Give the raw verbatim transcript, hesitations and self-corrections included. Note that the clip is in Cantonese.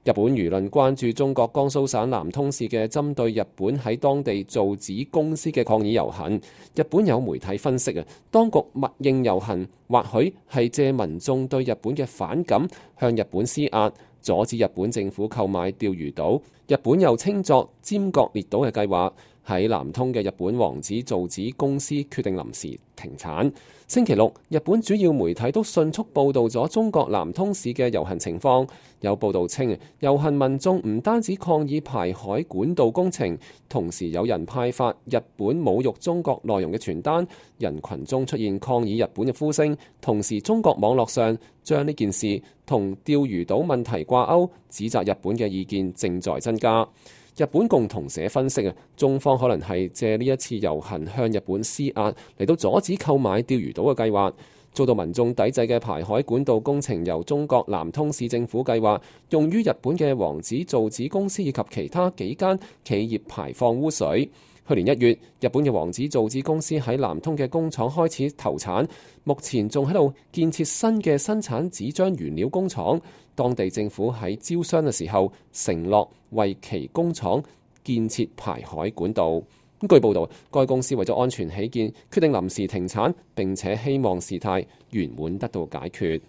日本輿論關注中國江蘇省南通市嘅針對日本喺當地造紙公司嘅抗議遊行。日本有媒體分析啊，當局默認遊行或許係借民眾對日本嘅反感向日本施壓，阻止日本政府購買釣魚島，日本又稱作尖閣列島嘅計劃。喺南通嘅日本王子造紙公司決定臨時停產。星期六，日本主要媒體都迅速報導咗中國南通市嘅遊行情況。有報導稱，遊行民眾唔單止抗議排海管道工程，同時有人派發日本侮辱中國內容嘅傳單，人群中出現抗議日本嘅呼聲。同時，中國網絡上將呢件事同釣魚島問題掛鈎，指責日本嘅意見正在增加。日本共同社分析啊，中方可能係借呢一次遊行向日本施壓，嚟到阻止購買釣魚島嘅計劃。遭到民眾抵制嘅排海管道工程由中國南通市政府計劃，用於日本嘅王子造紙公司以及其他幾間企業排放污水。去年一月，日本嘅王子造紙公司喺南通嘅工廠開始投產，目前仲喺度建設新嘅生產紙漿原料工廠。當地政府喺招商嘅時候承諾為其工廠建設排海管道。咁據報道，該公司為咗安全起見，決定臨時停產，並且希望事態圓滿得到解決。